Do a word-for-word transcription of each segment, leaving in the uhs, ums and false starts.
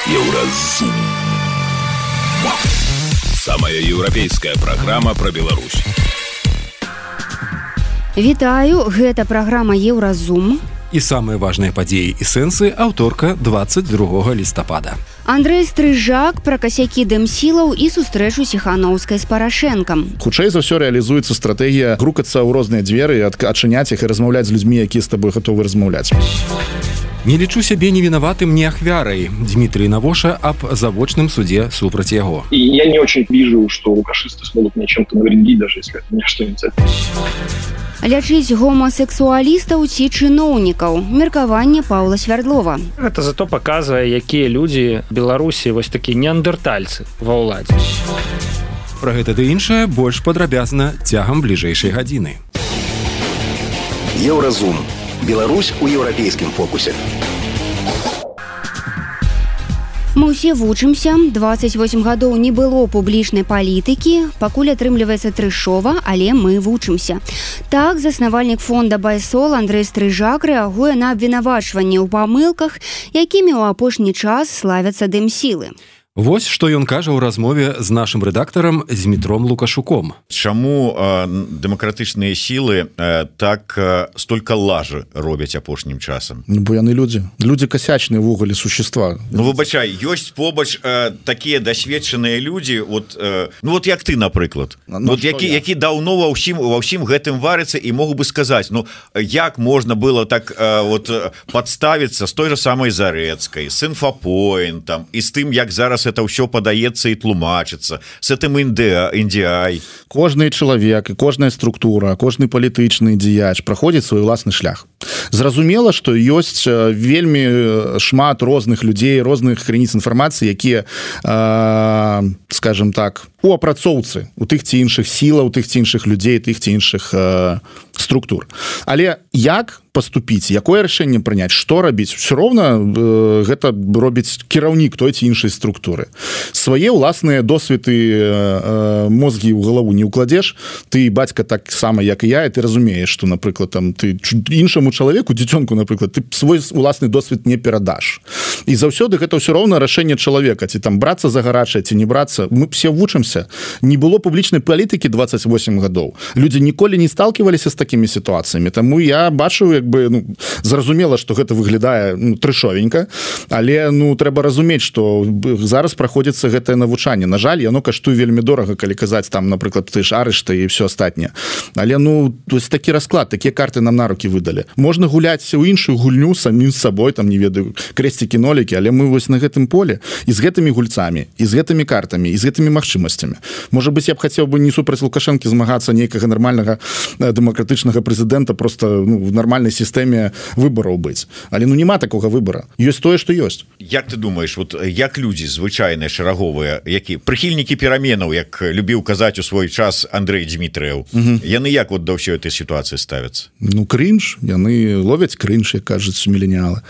Еўразум. Самая еўрапейская праграма пра Беларусь. Вітаю, гэта праграма Еўразум. І самыя важныя падзеі і сэнсы аўторка двадцать другога лістапада. Андрэй Стрыжак пра касякі дэмсілаў і сустрэчу Ціханаўскай з Парашэнкам. Хутчэй за ўсё рэалізуецца стратэгія грукацца ў розныя дзверы, адчыняць іх і размаўляць з людзьмі, якія з табой гатовы размаўляць. Не лічу сябе невінаватым, не ахвярай. Дмитрий Навоша об завочном суде супраць яго. И я не очень вижу, что лукашисты смогут мне чем-то навредить, даже если это мне что-нибудь это. Лячыць гомасексуалістаў ці чыноўнікаў. Меркаванне Паўла Свярдлова. Гэта зато паказвае, якія людзі Беларусі вось такія неандертальцы ва ўладзе. Пра гэта ды іншае больш падрабязна цягам бліжэйшай гадзіны. Еўразум. Беларусь у еўрапейскім фокусе. Мы ўсе вучымся, двадцать восемь гадоў не было публічнай палітыкі, пакуль атрымліваецца трэшова, але мы вучымся. Так, заснавальнік фонда Байсол Андрэй Стрыжак рэагуе на абвінавачванні ў памылках, якімі ў апошні час славяцца дэмсілы. Вось што ён кажа ў размове з нашым рэдактарам Змітром Лукашуком. Чаму э, дэмакратычныя сілы э, так э, столькі лажы робяць апошнім часам? Ну, бо яны людзі. Людзі касячныя ўвогуле существа. Ну, выбачай, ёсць побач э, такія дасведчаныя людзі, вот, э, ну, вот як ты, напрыклад, ну, вот, які, які даўно ва ўсім, ва ўсім гэтым варыцца і могу бы сказаць, ну, як можна было так э, вот, падставіцца з той же самой Зарэцкай, з Інфапоінтам і з тым, як зараз это ўсё падаецца і тлумачыцца с этим індіай. Кожны чалавек і кожная структура, кожны палітычны дзеяч праходзіць свой уласны шлях. Зразумела, што ёсць вельмі шмат розных людзей, розных крыніц інфармацыі, якія, э, скажем так, у апрацоўцы у тых ці іншых сілаў, тых ці іншых людзей, тых ці іншых э, структур. Але як поступіць, якое рашэнне прыняць, што рабіць, все роўна э, гэта робіць кіраўнік той ці іншай структуры. Свае ўласныя досведы э, мозгі ў галаву не ўкладзеш, ты бацька так сама, як і я, і ты разумееш, што, напрыклад, там ты іншаму чалавеку, дзіцёнку, напрыклад, ты свой уласны досвед не перадаш. І заўсёды гэта ўсё роўна рашэнне чалавека, ці там брацца за гарачае, ці не брацца. Мы все вучымся. Не было публічнай палітыкі двадцать восемь гадоў. Людзі ніколі не сталкиваліся з такімі сітуацыямі. Таму я бачу, як бы, ну, зразумела, што гэта выглядае, ну, трэшовенька, але, ну, трэба разумець, што зараз праходзіцца гэтае навучанне. На жаль, яно каштуе вельмі дорага, калі казаць там, напрыклад, ты ж арышты і все астатняе. Але, ну, вось такі расклад, такія карты нам на рукі выдалі. Можна гуляць у іншую гульню самім з сабой, там, не ведаю, крэсцікі-нолікі, але мы вось на гэтым поле і з гэтымі гульцамі, і з гэтымі картамі, і з гэтымі магчымасцямі. Можа быць, я б хацеў бы не супраць Лукашэнкі змагацца нейкага нармальнага дэмакратычнага прэзідэнта просто, ну, в нармальнай сістэме выбараў быць. Але, ну, няма такога выбара. Ёсць тое, што ёсць. Як ты думаеш, вот як людзі звычайныя, шараговыя, які прыхільнікі пераменаў, як любіў казаць у свой час Андрэй Дмітрыеў, угу. Яны як вот да ўсёй этой сітуацыі ставяцца? Ну, крынж. Яны ловяць крынж, як кажуць міленіалы.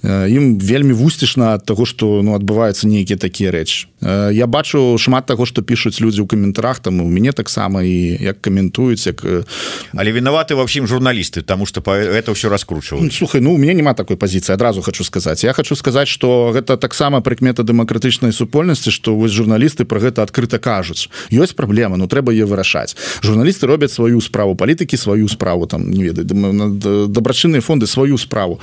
Ім вельмі вусцішна ад таго, што, ну, адбываюцца нейкія такія рэчы. Я бачу шмат таго, што пішуць людзі ў каментарах, там у мяне таксама і як каментуюць, як... Але вінаваты ва ўсім журналісты, таму што гэта ўсё раскручваюць. Слухай, ну у мяне няма такой пазіцыі, адразу хочу сказаць. Я хочу сказаць, што гэта таксама прыкмета дэмакратычнай супольнасці, што вось журналісты пра гэта адкрыта кажуць. Ёсць праблема, ну трэба яе вырашаць. Журналісты робяць сваю справу, палітыкі сваю справу, там, не ведаю, дабрачынныя фонды сваю справу,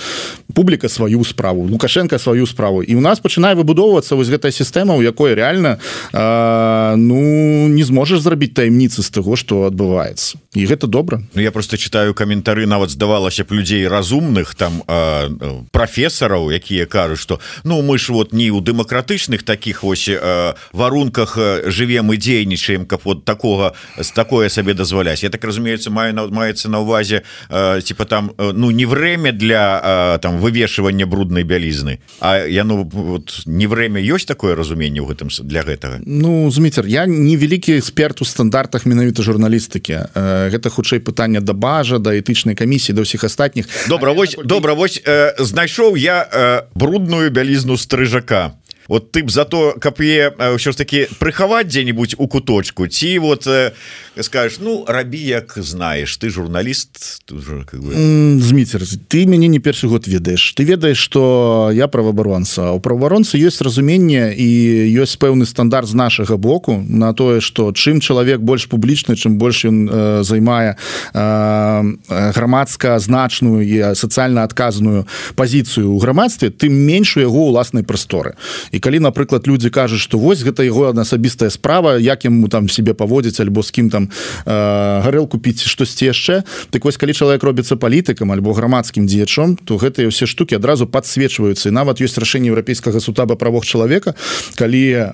публіка сваю справу, Лукашенко сваю справу. І у нас пачынае выбудоўвацца вось гэтая сістэма, у якой реально э, ну не зможаш зрабіць таямніцы з таго, што адбываецца. І гэта добра. Ну, я просто читаю каментары, нават здавалася б людзей разумных, там э, прафесараў, якія кажуць, што ну мы ж вот не ў дэмакратычных таких вось э, варунках жывем і дзейнічаем, каб вот такога з такое сабе дазваляць. Я так разумеется, маю на, маецца на увазе э, типа там э, ну не время для э, там вывешивання бруднай бялізны, а яно вот не время. Ёсць такое разуменне ў гэтым для гэтага? Ну, Зміцер, я не вялікі эксперт у стандартах менавіта журналістыкі. Э, гэта хутчэй пытанне да бажа, да этычнай камісіі, да ўсіх астатніх. Добра, вось, такой... добра, вось э, знайшоў я э, брудную бялізну Стрыжака. вот ты б за то каб е ўсё ж таки прыхаваць дзе-нибудь у куточку ці вот э, скажешь ну рабі як знаешь ты журналіст как бы... Зміцер, ты мяне не першы год ведаеш ты ведаеш что я праваабаронца у праваабаронцы ёсць разуменне і ёсць пэўны стандарт з нашага боку на тое что чым чалавек больш публічны чым больш ён э, займае э, грамадска значную і сацыяльна адказную пазіцыю ў грамадстве тым менш у яго уласнай прасторы і калі напрыклад людзі кажуць что вось гэта яго асабістая справа як яму там себе паводзіць альбо з кім там э, гарэлку піць штосьці яшчэ так вось калі чалавек робіцца палітыкам альбо грамадскім дзеячом то гэтыя ўсе штукі адразу подсвечваюцца і нават ёсць рашэнне еўрапейскага суда па правах чалавека калі э,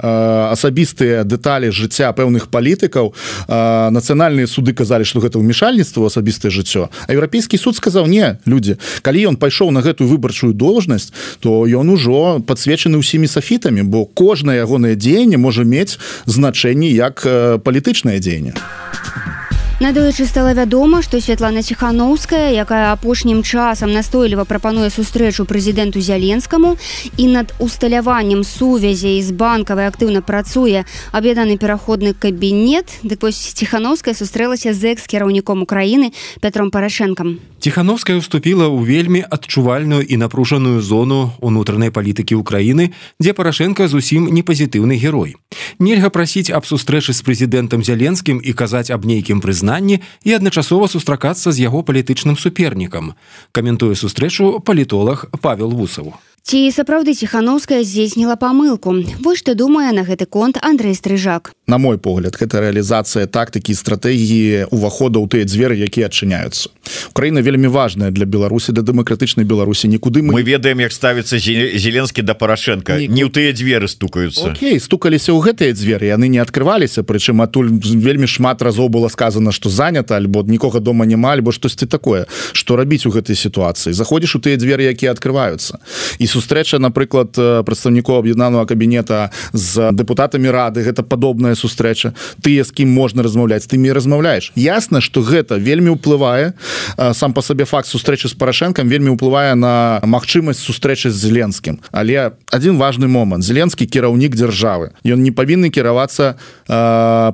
асабістыя дэталі жыцця пэўных палітыкаў э, нацыянальныя суды казалі что гэта ўмешальніцтва ў асабістае жыццё а еўрапейскі суд сказаў не людзі калі ён пайшоў на гэтую выбарчую должнасць то ён ужо подсвечаны ўсімі софітамі бо кожнае ягонае дзеянне можа мець значэнне як э, палітычнае дзеянне. Надоечы стала вядома, што Святлана Ціханаўская, якая апошнім часам настойліва прапануе сустрэчу прэзідэнту Зяленскаму і над усталяваннем сувязей з банкавай актыўна працуе аб'яднаны пераходны кабінет, дык вось Ціханаўская сустрэлася з экс-кіраўніком Украіны Пятром Парашэнкам. Ціханаўская ўступіла ў вельмі адчувальную і напружаную зону унутранай палітыкі ўкраіны, дзе Парашэнка зусім не пазітыўны герой. Нельга прасіць аб сустрэчы з прэзідэнтам Зяленскім і казаць аб нейкім прызнанні і адначасова сустракацца з яго палітычным супернікам. Каментуе сустрэчу палітолог Павел Вусаў. Ці сапраўды Ціханаўская здзейсніла памылку? Вось што думае на гэты конт Андрэй Стрыжак. На мой погляд, гэта рэалізацыя тактыкі і стратэгіі ўвахода ў тыя дзверы, якія адчыняюцца. Украіна вельмі важная для Беларусі, для дэмакратычнай Беларусі. Нікуды мы... Мы ведаем, як ставіцца Зеленскі да Парашэнка. Ніку... Не ў тыя дзверы стукаюцца. Окей, стукаліся ў гэтыя дзверы, яны не адкрываліся, прычым адтуль вельмі шмат разоў было сказана, што занята, альбо нікога дома няма, альбо штосьці такое. Што рабіць у гэтай сітуацыі? Заходзіш у тыя дзверы, якія адкрываюцца. І сустрэча, напрыклад, прадстаўнікоў аб'яднанага кабінета з дэпутатамі рады, гэта падобная сустрэча. Тыя, з кім можна размаўляць, тымі размаўляеш. Ясна, што гэта вельмі ўплывае, сам па сабе факт сустрэчы з Парашэнкам вельмі ўплывае на магчымасць сустрэчы з Зеленскім. Але адзін важны момант. Зеленскі кіраўнік дзяржавы. Ён не павінны кіравацца э,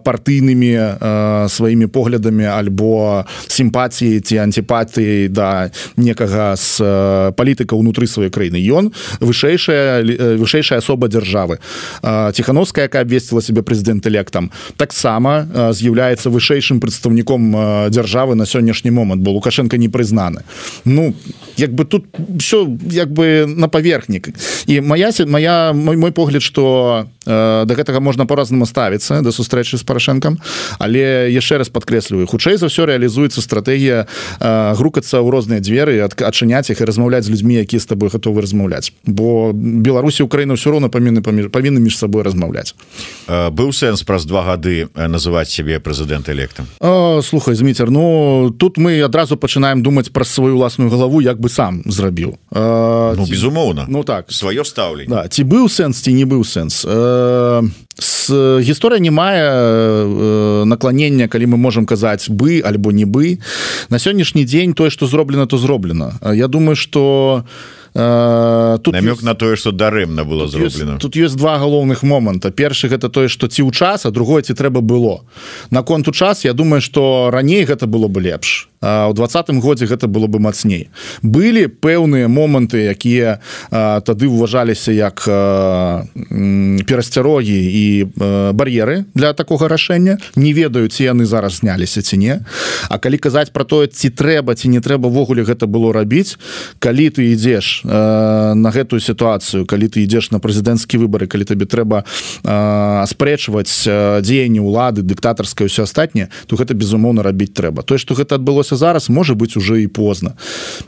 партыйнымі э, сваімі поглядамі альбо сімпатіі ці антипатыі да некага з э, палітыка ўнутры сваёй краіны. Ён вышэйшая, вышэйшая асоба дзяржавы. Э, Ціханаўская, якая абвесціла себе прэзідэнт-электам, таксама э, з'яўляецца вышэйшым прадстаўніком э, дзяржавы на сённяшні момант, бо Лукашенко не прызнаны. Ну, як бы тут все як бы на паверхнік. І моя, моя, мой, мой погляд, што э, да гэтага можна по-разнаму ставіцца, да сустрэчы з Парашэнкам, але яшчэ раз падкрэсліваю, хутчэй за ўсё рэалізуецца стратэгія э, грукацца ў розныя дзверы, адчыняць іх і размаўляць з людзьмі, якія з табой гатовы размаўляць. Бо Беларусі і Украіна ўсё роўна павінны, павінны між сабой размаўляць. Быў сэнс праз два гады называць сябе прэзідэнт-электам? Слухай, Зміцер, ну тут мы адразу пачынаем думаць пра сваю ўласную галаву, як бы сам зрабіў. Ну, ці... безумоўна. Ну так. Сваё стаўленне. Да, ці быў сэнс, ці не быў сэнс. С... Гісторыя не мае накланення, калі мы можам казаць бы альбо не бы. На сённяшні дзень тое, што зроблена, то зроблена. Я думаю, што Uh, тут намёк ёсць, на тое, што дарэмна было тут зроблена. Ёсць, тут ёсць два галоўных моманта. Першы гэта тое, што ці ў час, а другое ці трэба было. Наконт у час, я думаю, што раней гэта было бы лепш. А ў двадцатым годзе гэта было бы мацней. Былі пэўныя моманты, якія а, тады ўважаліся як а, м, перасцярогі і а, бар'еры для такога рашэння. Не ведаю, ці яны зараз зняліся ці не. А калі казаць пра тое, ці трэба, ці не трэба ўвогуле гэта было рабіць, калі ты ідзеш на гэтую сітуацыю, калі ты ідзеш на прэзідэнцкія выбары, калі табе трэба аспрэчваць дзеянні ўлады, дыктатарскае ўсё астатняе, то гэта безумоўна рабіць трэба. Тое, што гэта адбылося зараз, можа быць уже і позна.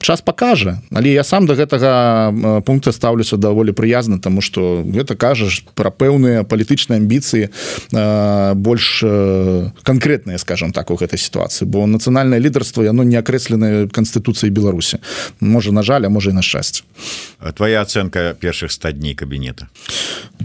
Час пакажа, але я сам да гэтага пункта стаўлюся даволі прыязна, таму што гэта кажаш пра пэўныя палітычныя амбіцыі больш канкрэтныя, скажам так, у гэтай сітуацыі, бо нацыянальнае лідарства яно не акрэсленае Канстытуцыяй Беларусі. Можа, на жаль, а можа і на шчасце. Твоя ацэнка першых ста дней кабінета?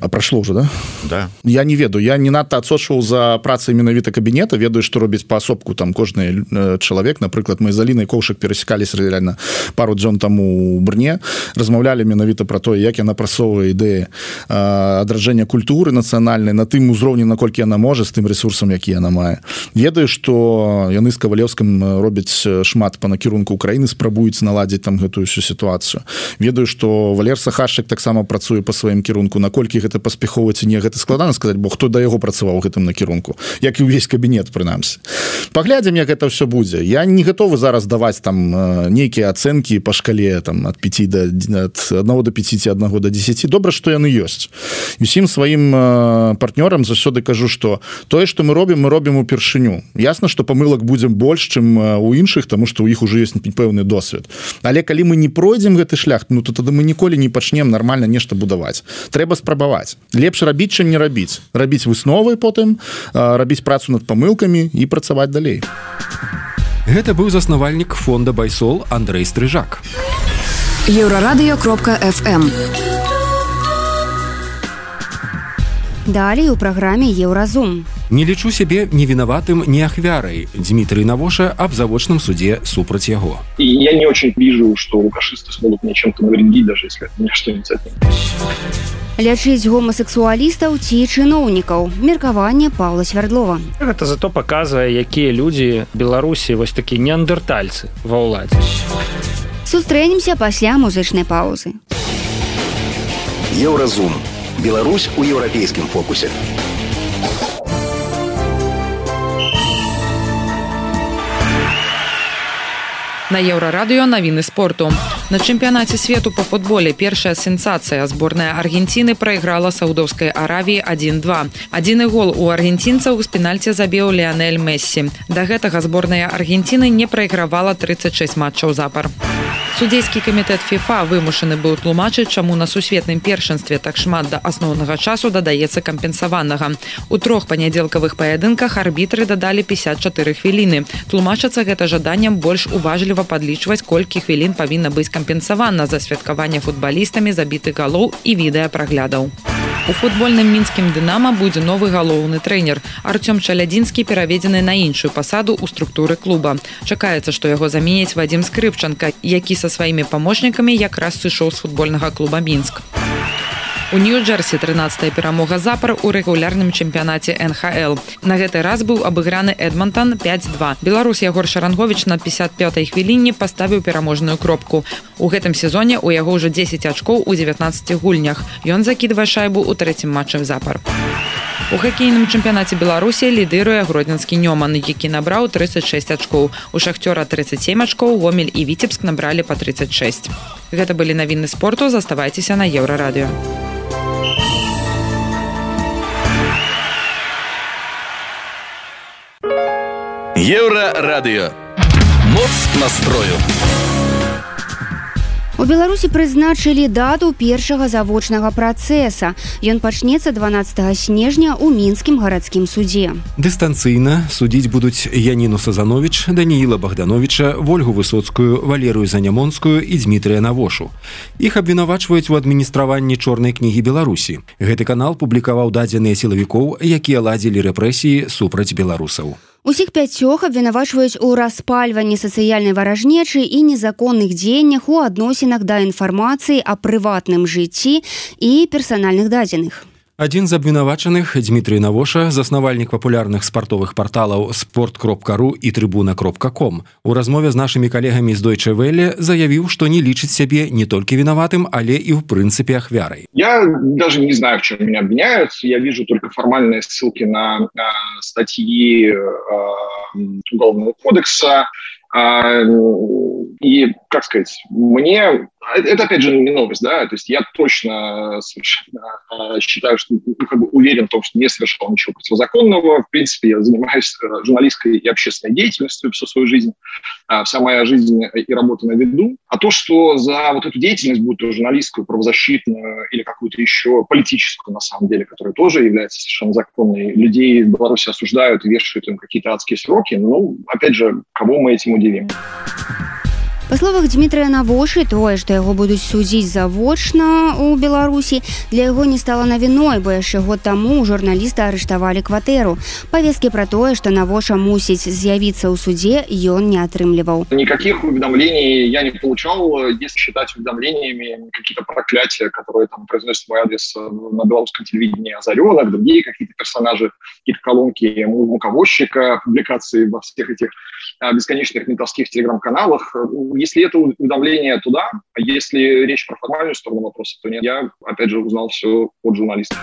А прашло ўжо, да? Да. Я не ведаю, я не надта адсочваў за працай менавіта кабінета, ведаю, што робіць паасобку там кожны чалавек, напрыклад, мы з Алінай Коўшак перасекаліся реально пару дзён таму у Брне, размаўлялі менавіта пра тое, як яна прасоўвае ідэі адраджэння культуры нацыянальнай на тым узроўні, наколькі яна можа з тым ресурсам, які яна мае. Ведаю, што яны з Кавалеўскім робяць шмат па накірунку Украіны, спрабуюць наладзіць там гэтую всю сітуацыю. Ведаю, што Валер Сахашчык таксама працуе па сваім кірунку, наколькі гэта паспяхова ці не, гэта складана сказаць, бо хто да яго працаваў у гэтым накірунку, як і ўвесь кабінет, прынамсі. Паглядзім, як гэта ўсё будзе. Я не гатовы зараз даваць там нейкія ацэнкі па шкале там ад пяти да ад аднаго до пяці ці аднаго до дзесяці. Добра, што яны ёсць. Усім сваім партнёрам заўсёды кажу, што тое, што мы робім, мы робім упершыню. Ясна, што памылак будзе больш, чым у іншых, таму што ў іх ужо ёсць пэўны досвед. Але калі мы не пройдзем гэты шлях, ну то тады мы ніколі не пачнем нармальна нешта будаваць. Трэба спрабаваць. Лепш рабіць, чым не рабіць. Рабіць высновы потым, рабіць працу над памылкамі і працаваць далей. Гэта быў заснавальнік фонда Байсол Андрэй Стрыжак. еўрарадыё кропка эф эм. Далей у праграме Еўразум. Не лічу сябе ні вінаватым, ні ахвярай. Дмітрий Навоша об завочном суде супраць яго. И я не очень вижу, что лукашисты смогут мне чем-то навредить, даже если это мне что-нибудь от них. Лячыць гомасексуалістаў ці чыноўнікаў. Меркаванне Паўла Свярдлова. Гэта зато паказвае, якія людзі Беларусі вось такія неандертальцы ва ўладзе. Сустрэнемся пасля музычнай паўзы. Еўразум. Беларусь у еўрапейскім фокусе. На Еўрарадыё навіны спорту. На чэмпіянаце свету па футболе першая сенсацыя. Зборная Аргенціны прайграла Саудаўскай Аравіі адзін два. Адзіны гол у аргенцінцаў з пенальці забіў Леонель Мессі. Да гэтага зборная Аргенціны не прайгравала тридцать шесть матчаў запар. Судзейскі камітэт ФІФА вымушаны быў тлумачыць, чаму на сусветным першынстве так шмат да асноўнага часу дадаецца кампенсаванага. У трох панядзелкавых паядынках арбітры дадалі пятьдесят четыре хвіліны. Тлумачацца гэта жаданнем больш уважліва падлічваць, колькі хвілін павінна быць кампенсавана за святкаванне футбалістамі забітых галоў і відэапраглядаў. У футбольным мінскім «Дынама» будзе новы галоўны трэнер. Артём Чалядзінскі пераведзены на іншую пасаду ў структуры клуба. Чакаецца, што яго заменяць Вадзім Скрыпчанка, які са сваімі памочнікамі якраз сышоў з футбольнага клуба «Мінск». У Нью-Джерсі трынаццатая перамога запар у рэгулярным чэмпіянаце эн ха эл. На гэты раз быў абыграны Эдмантон пять два. Беларус Ягор Шаранговіч на пятьдесят пятай хвіліне паставіў пераможную кропку. У гэтым сезоне ў яго ўжо дзесяць ачкоў у дзевятнаццаці гульнях. Ён закідвае шайбу ў трэцім матчы запар. У хакейным чэмпіянаце Беларусі лідыруе гродзенскі Нёман, які набраў тридцать шесть ачкоў. У Шахцёра тридцать семь ачкоў, Гомель і Віцебск набралі па тридцать шесть. Гэта былі навіны спорту, заставайцеся на Еўрарадыё. Еўрарадыё. Моц настрою. У Беларусі прызначылі дату першага завочнага працэса. Ён пачнецца дванаццатага снежня ў мінскім гарадскім судзе. Дыстанцыйна судзіць будуць Яніну Сазановіч, Данііла Богдановича, Вольгу Высоцкую, Валерыю Занямонскую і Дмітрыя Навошу. Іх абвінавачваюць у адміністраванні чорнай кнігі Беларусі. Гэты канал публікаваў дадзеныя сілавікоў, якія ладзілі рэпрэсіі супраць беларусаў. Усіх пяцёх абвінавачваюць у распальванні сацыяльнай варажнечы і незаконных дзеяннях у адносінах да інфармацыі о прыватным жыцці і персанальных дадзеных. Адзін з абвінавачаных, Дмітрий Навоша, заснавальнік папулярных спартовых парталаў спорт кропка ру і трыбуна кропка ком, у размове з нашымі калегамі з Deutsche Welle заявіў, што не лічыць сябе не толькі вінаватым, але і ў прынцыпе ахвярай. Я даже не знаю, в чем меня обвиняют. Я вижу только формальные ссылки на, на статьи э, Уголовного кодекса. Э, и, как сказать, мне... Это, опять же, не новость, да, то есть я точно совершенно считаю, что, ну, как бы уверен в том, что не совершал ничего противозаконного. В принципе, я занимаюсь журналистской и общественной деятельностью всю свою жизнь. Вся моя жизнь и работа на виду. А то, что за вот эту деятельность, будь то журналистскую, правозащитную или какую-то еще политическую, на самом деле, которая тоже является совершенно законной, людей в Беларуси осуждают и вешают им какие-то адские сроки, ну, опять же, кого мы этим удивим? Па словах Дмітрыя Навошы, тое, што яго будуць судзіць завочна ў Беларусі, для яго не стала навіной, бо яшчэ год таму журналіста арыштавалі кватэру. Павесткі пра тое, што Навоша мусіць з'явіцца ў суде, ён не атрымліваў. Никаких уведомлений я не получал. Если считать уведомлениями какие-то проклятия, которые там произносят мой адрес на белорусском телевидении, Озаренок, другие какие-то персонажи, какие-то колонки муковозчика, публикации во всех этих бесконечных ментовских телеграм-каналах. Если это уведомление туда, а если речь про формальную сторону вопроса, то нет. Я, опять же, узнал все от журналистов.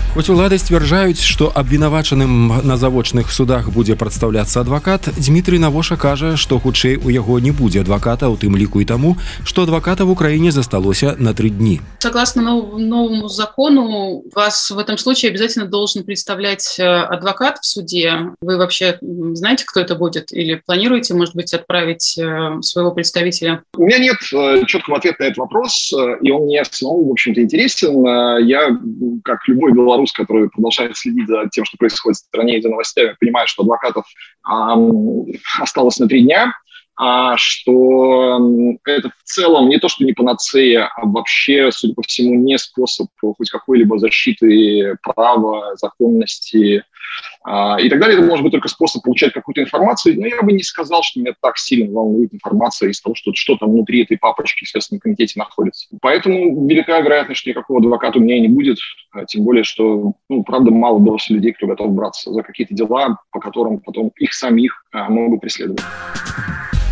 Хоць улады сцвярджаюць, што абвінавачаным на завочных судах будзе прадстаўляцца адвакат, Дмітрый Навоша кажа, што хутчэй у яго не будзе адваката, у тым ліку і таму, што адваката в Украине засталося на три дни. Согласно новому закону, вас в этом случае обязательно должен представлять адвокат в суде. Вы вообще знаете, кто это будет? Или планируете, может быть, отправить своего представителя? У меня нет четкого ответа на этот вопрос, и он мне самому, в общем-то, интересен. Я, как любой белорус, который продолжает следить за тем, что происходит в стране и за новостями, понимает, что адвокатов эм, осталось на три дня, а что это в целом не то, что не панацея, а вообще, судя по всему, не способ хоть какой-либо защиты права, законности э, и так далее. Это может быть только способ получать какую-то информацию, но я бы не сказал, что меня так сильно волнует информация из того, что, что там внутри этой папочки в Следственном комитете находится. Поэтому велика вероятность, что никакого адвоката у меня и не будет, тем более, что, ну, правда, мало было людей, кто готов браться за какие-то дела, по которым потом их самих э, могут преследовать.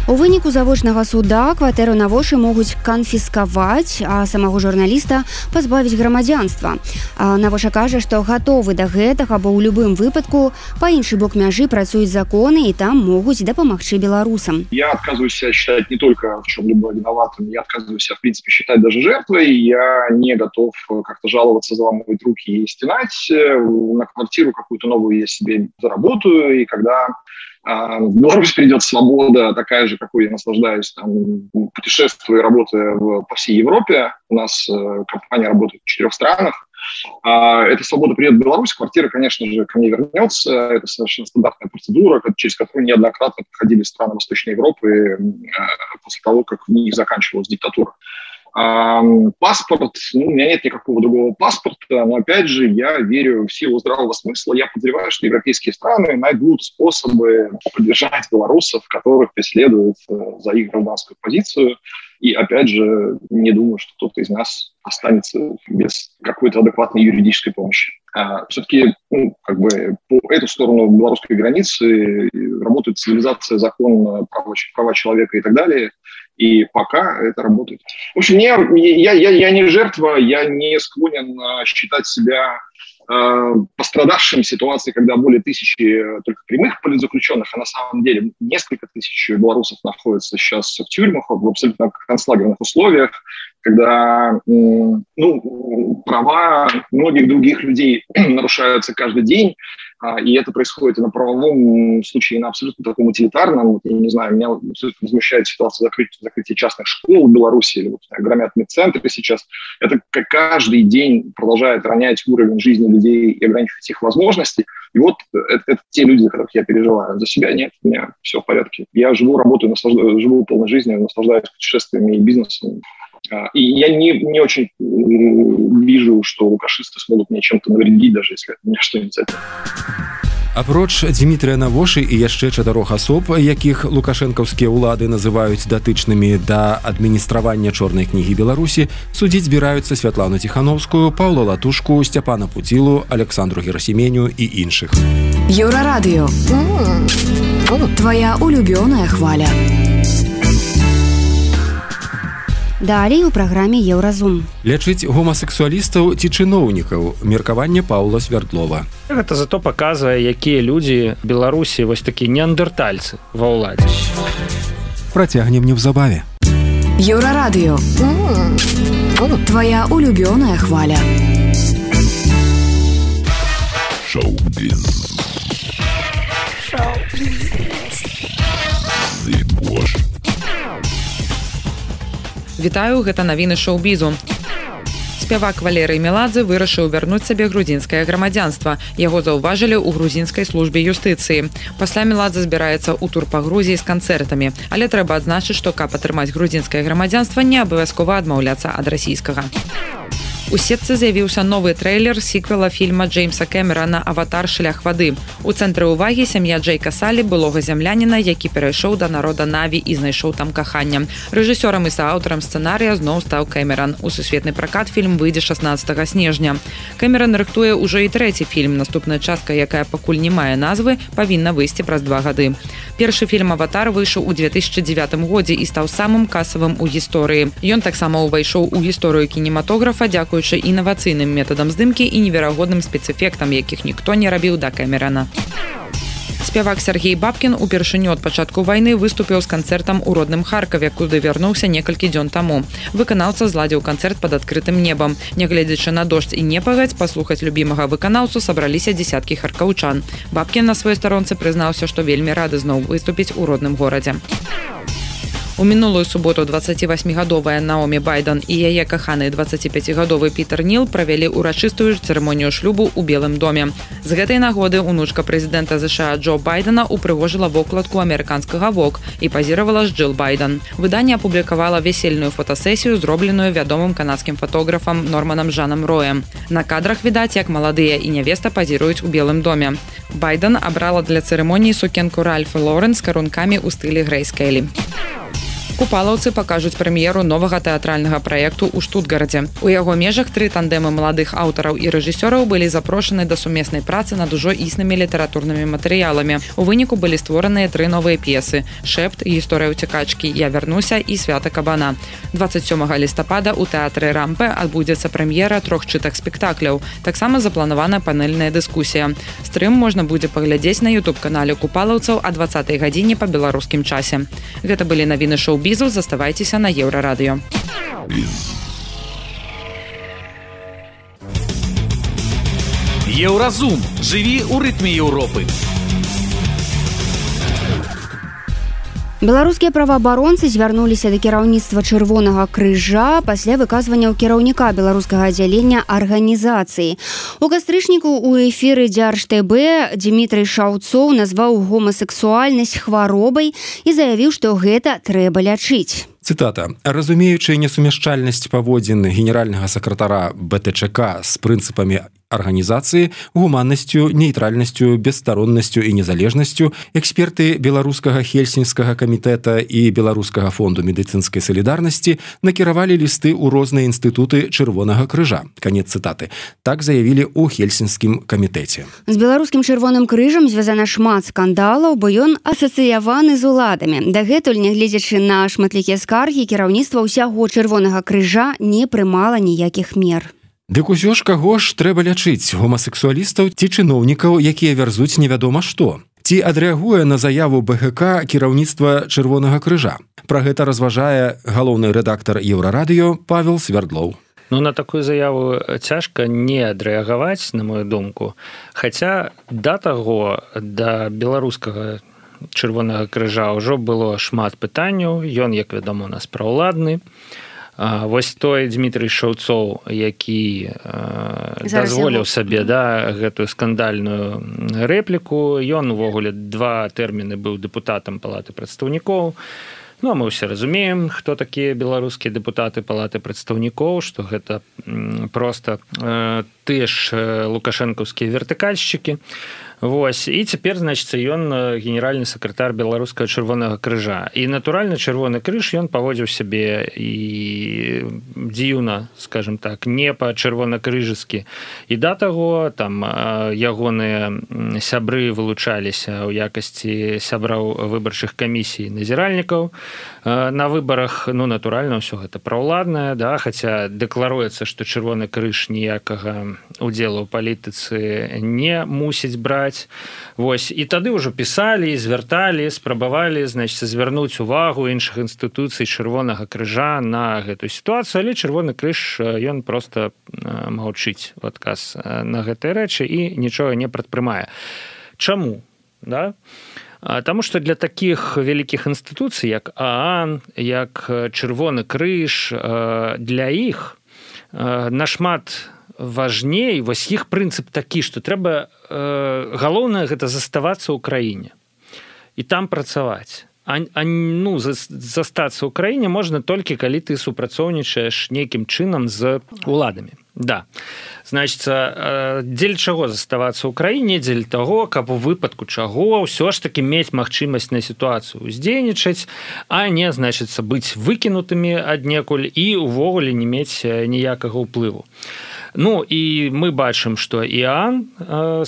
У выніку завочнага суда кватэру Навошы могуць канфіскаваць, а самого журналіста пазбавіць грамадзянства. Навоша кажа, што гатовы да гэтага, бо ў любым выпадку па іншы бок мяжы працуюць законы і там могуць дапамагчы беларусам. Я отказываюсь себя считать не только в чем-либо виноватым, я отказываюсь себя, в принципе, считать даже жертвой. Я не готов как-то жаловаться, заламывать руки и стенать. На квартиру какую-то новую я себе заработаю, и когда в Беларусь придет свобода, такая же, какой я наслаждаюсь, там, путешествуя и работая в, по всей Европе. У нас э, компания работает в четырех странах. А, эта свобода придет в Беларусь, квартира, конечно же, ко мне вернется. Это совершенно стандартная процедура, через которую неоднократно проходили страны Восточной Европы э, после того, как в них заканчивалась диктатура. Паспорт, ну, у меня нет никакого другого паспорта, но, опять же, я верю в силу здравого смысла. Я подозреваю, что европейские страны найдут способы поддержать белорусов, которых преследуют за их гражданскую позицию. И, опять же, не думаю, что кто-то из нас останется без какой-то адекватной юридической помощи. Все-таки, ну, как бы по эту сторону белорусской границы работает цивилизация, закон, права, права человека и так далее. И пока это работает. В общем, я, я, я, я не жертва, я не склонен считать себя э, пострадавшим в ситуации, когда более тысячи только прямых политзаключенных, а на самом деле несколько тысяч белорусов находятся сейчас в тюрьмах в абсолютно концлагерных условиях, когда ну, права многих других людей нарушаются каждый день, и это происходит и на правовом случае, и на абсолютно таком утилитарном. Я не знаю, меня абсолютно возмущает ситуация закрытия, закрытия частных школ в Беларуси, или вот, громят медцентры сейчас. Это каждый день продолжает ронять уровень жизни людей и ограничивать их возможности. И вот это, это те люди, за которых я переживаю. За себя нет, у меня все в порядке. Я живу, работаю, наслаждаюсь, живу полной жизнью, наслаждаюсь путешествиями и бизнесом. И я не, не очень вижу, что лукашисты смогут мне чем-то навредить, даже если от меня что-нибудь за это. Апроч Дмітрыя Навошы і яшчэ чатырох асоб, якіх лукашэнкаўскія ўлады называюць датычнымі да адміністравання чорнай кнігі Беларусі, судзіць збіраюцца Святлану Ціхановскую, Паўла Латушку, Сцяпана Пуцілу, Александру Герасіменю і іншых. Еўрарадыё. Твоя улюбёная хваля. Далей у праграме Еўразум. Лячыць гомасексуалістаў ці чыноўнікаў. Меркаванне Паўла Свярдлова. Гэта зато паказвае, якія людзі Беларусі вось такі неандертальцы ва ўладзе. Працягнем неўзабаве. Еўрарадыё. Твоя улюбёная хваля. Шоу-біз. Шоу-біз. Зыбош. Вітаю, гэта навіны шоу-бізу. Спявак Валерый Меладзе вырашыў вярнуць сабе грузінскае грамадзянства. Яго заўважылі ў грузінскай службе юстыцыі. Пасля Меладзе збіраецца ў тур па Грузіі з канцэртамі. Але трэба адзначыць, што каб атрымаць грузінскае грамадзянства, не абавязкова адмаўляцца ад расійскага. У сетцы з'явіўся новы трэйлер сіквела фільма Джеймса Кэмерана «Аватар. Шлях вады». У цэнтры ўвагі сям'я Джейка Салі, былога зямляніна, які перайшоў да народа Наві і знайшоў там каханне. Рэжысёрам і сааўтарам сцэнарыя зноў стаў Кэмеран. У сусветны пракат фільм выйдзе шаснаццатага снежня. Кэмеран рыхтуе ўжо і трэці фільм. Наступная частка, якая пакуль не мае назвы, павінна выйсці праз два гады. Першы фільм «Аватар» выйшаў у две тысячы дзевятым годзе і стаў самым касавым у гісторыі. Ён таксама ўвайшоў у гісторыю кінематографа, дзякуючы інавацыйным метадам здымкі і неверагодным спецэфектам, якіх ніхто не рабіў да Кэмерана. Спявак Сергей Бабкін упершыню ад пачатку вайны выступіў з канцэртам у родным Харкаве, куды вярнуўся некалькі дзён таму. Выканаўца зладзіў канцэрт пад адкрытым небам. Нягледзячы на дождж і непагадзь, паслухаць любімага выканаўцу сабраліся дзесяткі харкаўчан. Бабкін на сваёй старонцы прызнаўся, што вельмі рады зноў выступіць у родным горадзе. У мінулую суботу дваццацівасьмігадовая Наомі Байден і яе каханы дваццаціпяцігадовы Пітер Ніл правялі ўрачыстую цырымонію шлюбу ў Белым доме. З гэтай нагоды унучка прэзідэнта ЗША Джо Байдена упрыгожыла вокладку амерыканскага Vogue і пазіравала з Джилл Байден. Выданне апублікавала весельную фотасесію, зробленую вядомым канадскім фотографам Норманам Жанам Роем. На кадрах відаць, як маладыя і нявеста пазіруюць у Белым доме. Байден абрала для цырымоніі сукенку Ральфа Лорен з карункамі ў стылі Грэйс Келлі. Купалаўцы пакажуць прэм'еру новага тэатральнага праекту ў Штутгарадзе. У яго межах тры тандэмы маладых аўтараў і рэжысёраў былі запрошаны да сумеснай працы над ужо існымі літаратурнымі матэрыяламі. У выніку былі створаныя тры новыя п'есы: «Шэпт», «Гісторыя ўцякачкі», «Я вярнуся» і «Свята кабана». дваццаць сёмага лістапада ў тэатры Рампе адбудзецца прэм'ера трох чытак спектакляў. Таксама запланавана панельная дыскусія. Стрым можна будзе паглядзець на ютуб-канале купалаўцаў а дваццатай гадзіне па беларускім часе. Гэта былі навіны шоу Бізу, заставайцеся на Еўрарадыё. Еўразум. Жыві ў рытме Еўропы. Беларускія праваабаронцы звярнуліся да кіраўніцтва Чырвонага крыжа пасля выказванняў кіраўніка беларускага аддзялення арганізацыі. У кастрычніку ў эфіры Дзярж-ТБ Дзімітрый Шаўцоў назваў гомасексуальнасць хваробай і заявіў, што гэта трэба лячыць. Цытата. «Разумеючы несумяшчальнасць паводзін генеральнага сакратара БТЧК з прынцыпамі арганізацыі, гуманнасцю, нейтральнасцю, бесстароннасцю і незалежнасцю, эксперты беларускага хельсінскага камітэта і беларускага фонду медыцынскай салідарнасці накіравалі лісты ў розныя інстытуты Чырвонага крыжа». Канец цытаты. Так заявілі ў хельсінскім камітэце. З беларускім Чырвоным крыжам звязана шмат скандалаў, бо ён асацыяваны з уладамі. Дагэтуль, нягледзячы на шматлікія скаргі, кіраўніцтва ўсяго Чырвонага крыжа не прымала ніякіх мер. Дык усё ж каго ж трэба лячыць, гомасексуалістаў ці чыноўнікаў, якія вярзуць невядома што? Ці адрэагуе на заяву БГК кіраўніцтва Чырвонага крыжа? Пра гэта разважае галоўны рэдактар Еўрарадыё Павел Свердлоў. Ну, на такую заяву цяжка не адрэагаваць, на мою думку. Хаця да таго, да беларускага Чырвонага крыжа ўжо было шмат пытанняў. Ён, як вядома, у нас праўладны. Вось той Дзімітрый Шаўцоў, які дазволіў сабе да, гэтую скандальную рэпліку. Ён увогуле два тэрміны быў дэпутатам палаты прадстаўнікоў. Ну, а мы ўсе разумеем, хто такія беларускія дэпутаты палаты прадстаўнікоў, што гэта проста тыя ж лукашэнкаўскія вертыкальшчыкі. Вось. І цяпер, значыцца, ён генеральны сакратар беларускага Чырвонага крыжа. І, натуральна, Чырвоны крыж, ён паводзіў сябе і дзіўна, скажем так, не па-чырвонакрыжыскі. І да таго, там, ягоныя сябры вылучаліся ў якасці сябраў выбарчых камісій назіральнікаў на выбарах. Ну, натуральна, ўсё гэта праўладнае, да, хаця дэкларуецца, што Чырвоны крыж ніякага удзелу ў палітыцы не мусіць браць. Вось. І тады ўжо пісалі, звярталі, спрабавалі, значыць, звярнуць увагу іншых інстытуцый Чырвонага крыжа на гэтую сітуацыю, але Чырвоны крыж, ён проста маўчыць у адказ на гэтыя рэчы і нічога не прадпрымае. Чаму? Да? Таму што для такіх вялікіх інстытуцый, як ААН, як Чырвоны крыж, для іх нашмат важней, вось іх прынцып такі, што трэба галоўнае гэта заставацца ў краіне і там працаваць. А, а ну, застацца ў краіне можна толькі, калі ты супрацоўнічаеш нейкім чынам з уладамі. Да. Значыцца, дзеля чаго заставацца ў краіне, дзеля таго, каб у выпадку чаго ўсё ж такі мець магчымасць на сітуацыю ўздзейнічаць, а не, значыцца, быць выкінутымі аднекуль і ўвогуле не мець ніякага ўплыву. Ну і мы бачым, што ІАН,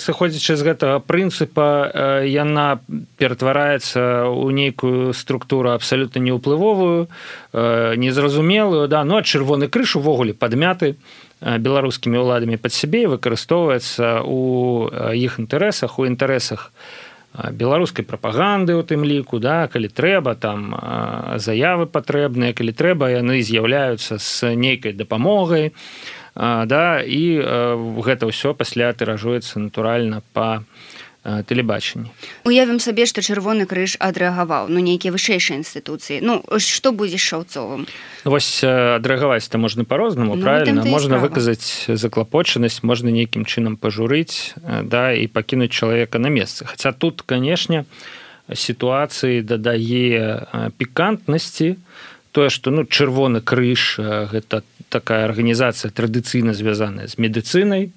сыходзячы з гэтага прынцыпа, яна ператвараецца ў нейкую структуру абсалютна неўплывовую, незразумелую, да, ну а чырвоны крыж увогуле падмяты беларускімі ўладамі пад сябе і выкарыстоўваецца ў іх інтарэсах, у інтарэсах беларускай прапаганды у тым ліку, да, калі трэба, там заявы патрэбныя, калі трэба, яны з'яўляюцца з нейкай дапамогай, да, і гэта ўсё пасля тыражуецца натуральна па тэлебачанні. Уявім сабе, што чырвоны крыж адрэагаваў, ну нейкія вышэйшыя інстытуцыі. Ну што будзе з Шаўцовым? Вось адрэагаваць-то можна па-рознаму, ну, правільна, можна выказаць заклапочанасць, можна нейкім чынам пажурыць, да, і пакінуць чалавека на месцы. Хаця тут, канешне, сітуацыі дадае пікантнасці тое, што ну чырвоны крыж гэта такая арганізацыя традыцыйна звязаная з медыцынай,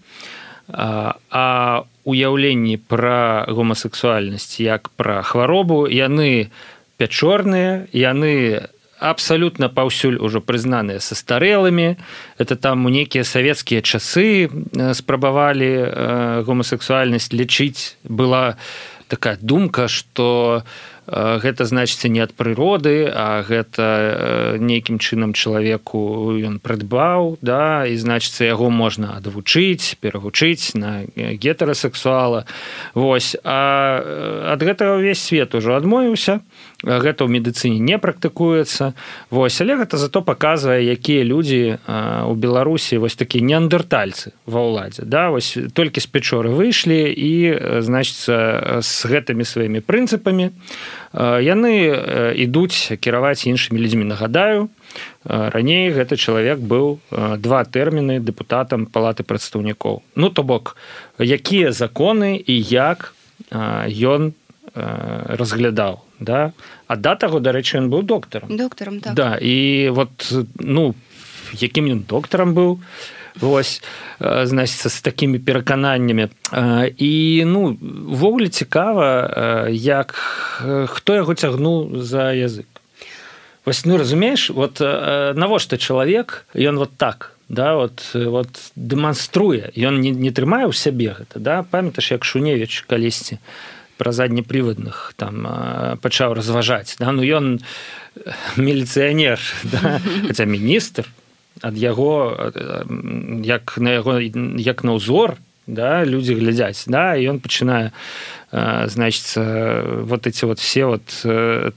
а, а уяўленні пра гомасексуальнасць як пра хваробу, яны пячорныя, яны абсалютна паўсюль ужо прызнаныя састарэлымі. Это там у нейкія савецкія часы спрабавалі гомасексуальнасць лічыць. Была такая думка, што гэта значыцца не ад прыроды, а гэта нейкім чынам чалавеку ён прыдбаў, да, і значыцца яго можна адвучыць, перавучыць на гетэрасексуала. Вось. А ад гэтага ўвесь свет ужо адмовіўся. Гэта ў медыцыне не практыкуецца. Вось. Але гэта зато паказвае, якія людзі ў Беларусі вось такія неандертальцы ва ўладзе. Да? Вось толькі з пячоры выйшлі і, значыцца, з гэтымі сваімі прынцыпамі яны ідуць кіраваць іншымі людзьмі. Нагадаю, раней гэты чалавек быў два тэрміны дэпутатам палаты прадстаўнікоў. Ну, то бок, якія законы і як ён разглядаў, да? А да таго, дарэчы, ён быў доктарам. Доктарам, так. Да, і вот, ну, якім ён доктарам быў, вось, значыцца, з такімі перакананнямі. І, ну, ввогуле цікава, як, хто яго цягнуў за язык. Вось, ну, разумееш, вот навошта чалавек, ён вот так, да, вот, вот дэманструе, ён не, не трымае ў сябе гэта, да, памятаеш, як Шуневіч калісьці пра заднепрывадных там пачаў разважаць, да, ну, ён міліцыянер, да, хаця міністр, ад яго, як на яго, як на ўзор, да, людзі глядзяць, да, і ён пачынае, значыцца, вот эти вот все вот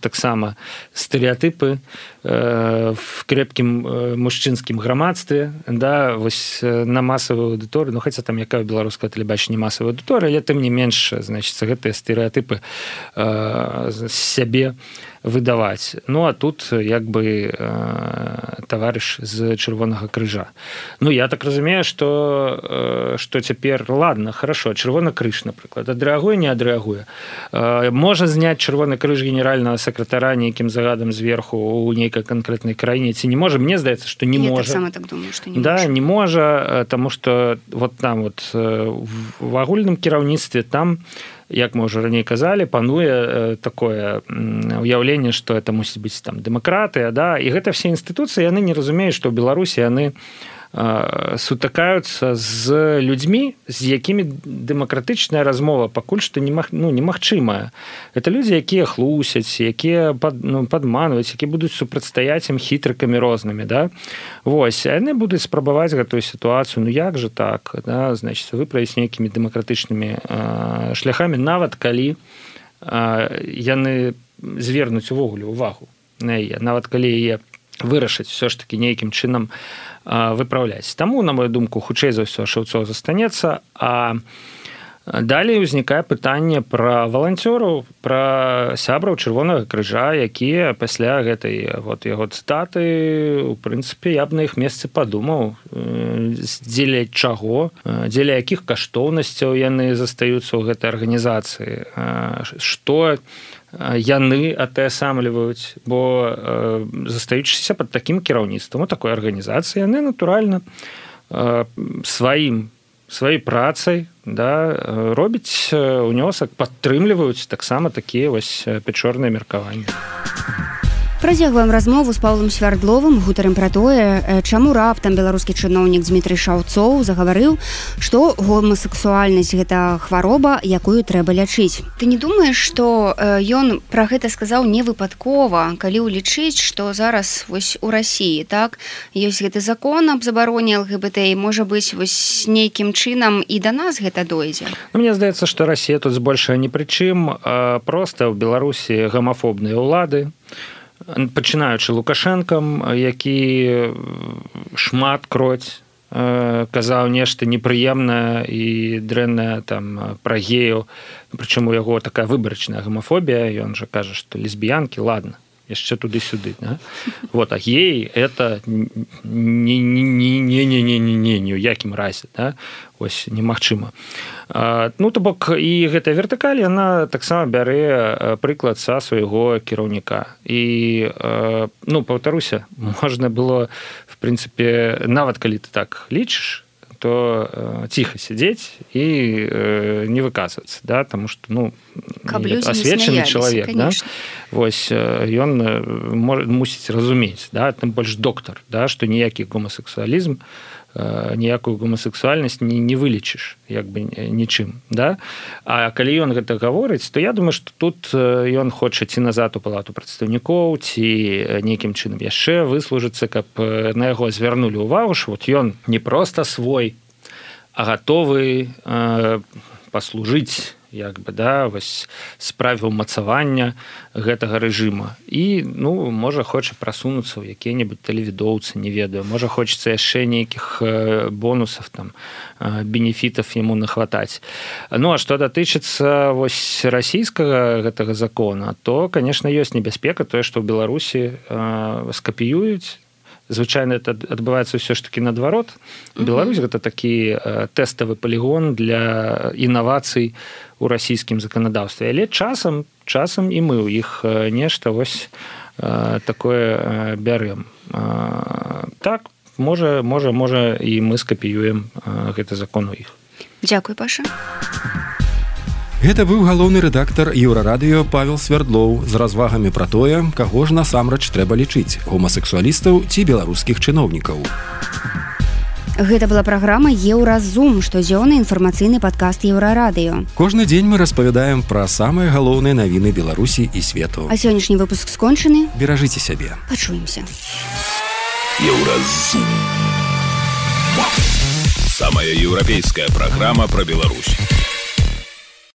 таксама стэрэатыпы в крепкім мужчынскім грамадстве, да, вось на масавую аўдыторыю, ну, хаця там якая беларуская тэлебачанне масавая аўдыторыя, але тым не менш, значыцца, гэтыя стэрэатыпы з сябе выдаваць. Ну, а тут як бы таварыш з чырвонага крыжа. Ну, я так разумею, што, што цяпер, ладно, хорошо, чырвоны крыж, напрыклад, адрэагуе, не адрэагуе. Можа зняць чырвоны крыж генеральнага сакратара нейкім загадам зверху ў нейкай канкрэтнай краіне, ці не можа? Мне здаецца, што не я можа. Я таксама так думаю, што не да, можа. Да, не можа, таму што вот там вот в агульным кіраўніцтве там, як мы ўжо раней казалі, пануе такое уяўленне, што это мусіць быць там дэмакратыя, да, і гэта все інстытуцыі, яны не разумеюць, што ў Беларусі яны сутыкаюцца з людзьмі, з якімі дэмакратычная размова пакуль што немаг, ну, немагчымая. Это людзі, якія хлусяць, якія пад, ну, падманваюць, якія будуць супрацьстаяць ім хітрыкамі рознымі, да? Вось, а яны будуць спрабаваць гэтую сітуацыю, ну як жа так, да? Значыць, выправіць нейкімі дэмакратычнымі э, шляхамі, нават калі э, яны звернуць увогуле увагу на яе, нават калі яе вырашыць все ж таки нейкім чынам выпраўляць. Таму, на мою думку, хутчэй за ўсё Шаўцоў застанецца, а Далей узнікае пытанне пра валанцёраў, пра сябраў чырвонага крыжа, якія пасля гэтай вот яго цытаты, у прынцыпе, я б на іх месцы падумаў, дзеля чаго, дзеля якіх каштоўнасцяў яны застаюцца ў гэтай арганізацыі, што яны атэасамліваюць, бо застаючыся пад такім кіраўніцтвам у такой арганізацыі, яны, натуральна, сваім сваёй працай, да, робіць унёсак, падтрымліваюць таксама такія вось пячорныя меркаванні. Працягваем размову з Паўлам Свярдловым, гутарым пра тое, чаму раптам беларускі чыноўнік Дмітрый Шаўцоў загаварыў, што гомасексуальнасць гэта хвароба, якую трэба лячыць. Ты не думаеш, што ён пра гэта сказаў не выпадкова, калі ўлічыць, што зараз вось у Расіі, так, ёсць гэты закон аб забароне эл гэ бэ тэ, можа быць, вось нейкім чынам і да нас гэта дойдзе? Ну, мне здаецца, што Расія тут збольшага ні пры чым, проста ў Беларусі гамафобныя ўлады, пачынаючы Лукашэнкам, які шмат кроць казаў нешта непрыемнае і дрэннае там пра геяў, прычым у яго такая выбарачная гамафобія, ён жа кажа, што лесбіянкі, ладно, яшчэ туды-сюды, да? Вот, а геі это не-не-не-не-не-не-не ні ў якім разе, да? Ось немагчыма. Ну, то бок, і гэтая вертыкаль, яна таксама бярэ прыклад са свайго кіраўніка. І, ну, паўтаруся, можна было, в прынцыпе, нават калі ты так лічыш, то э, ціха сядзець і э, не выказвацца, да, таму што, ну, асвечаны чалавек, да? Вось, ён э, мусіць разумець, да, тым больш доктар, да, што ніякі гомасексуалізм, э, ніякую гомасексуальнасць не, не вылечыш, як бы нічым, да? А калі ён гэта гаворыць, то я думаю, што тут ён хоча ці назад у палату прадстаўнікоў, ці нейкім чынам яшчэ выслужыцца, каб на яго звярнулі ўвагу, што вот ён не проста свой, а гатовы э, паслужыць, як бы, да, вось справе ўмацавання гэтага рэжыма. І, ну, можа, хоча прасунуцца ў якія-небудзь тэлевідоўцы, не ведаю, можа, хочацца яшчэ нейкіх бонусаў, там, бенефітаў яму нахватаць. Ну, а што датычыцца вось расійскага гэтага закона, то, конечно, ёсць небяспека тое, што ў Беларусі э, скапіююць. Звычайна это адбываецца ўсё ж такі наадварот. Беларусь гэта такі э, тэставы палігон для інавацый у расійскім заканадаўстве. Але часам, часам і мы ў іх э, нешта вось э, такое э, бярэм. Э, так, можа, можа, можа і мы скапіюем э, гэты закон у іх. Дзякуй, Паша. Гэта быў галоўны рэдактар Еўрарадыё Павел Свярдлоў з развагамі пра тое, каго ж насамрэч трэба лічыць, гомасексуалістаў ці беларускіх чыноўнікаў. Гэта была праграма «Еўразум», штодзённы інфармацыйны падкаст Еўрарадыё. Кожны дзень мы распавядаем пра самыя галоўныя навіны Беларусі і свету. А сённяшні выпуск скончаны. Беражыце сябе. Пачуемся. Еўразум. Самая еўрапейская праграма пра Беларусь.